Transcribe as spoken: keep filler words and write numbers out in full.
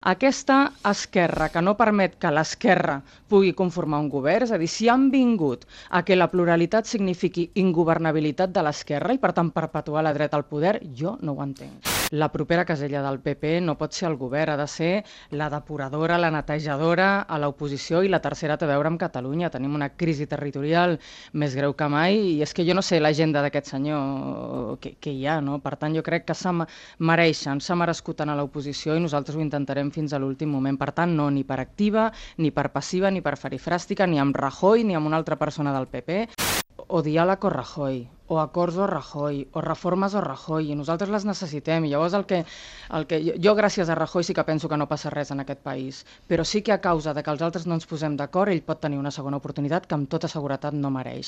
Aquesta esquerra que no permet que l'esquerra pugui conformar un govern, és a dir, si han vingut a que la pluralitat signifiqui ingovernabilitat de l'esquerra i per tant perpetuar la dreta al poder, jo no ho entenc. La propera casella del P P no pot ser el govern, ha de ser la depuradora, la netejadora a l'oposició, i la tercera té a veure amb Catalunya. Tenim una crisi territorial més greu que mai i és que jo no sé l'agenda d'aquest senyor que, que hi ha, no? Per tant, jo crec que s'ha mereixen, s'ha merescut anar a l'oposició i nosaltres ho intentarem fins a l'últim moment. Per tant, no, ni per activa, ni per passiva, ni per farifràstica, ni amb Rajoy, ni amb una altra persona del P P. O diàleg o Rajoy, o acords o Rajoy, o reformes o Rajoy, i nosaltres les necessitem. I llavors el que, el que jo, jo, gràcies a Rajoy, sí que penso que no passa res en aquest país, però sí que a causa de que els altres no ens posem d'acord, ell pot tenir una segona oportunitat que amb tota seguretat no mereix.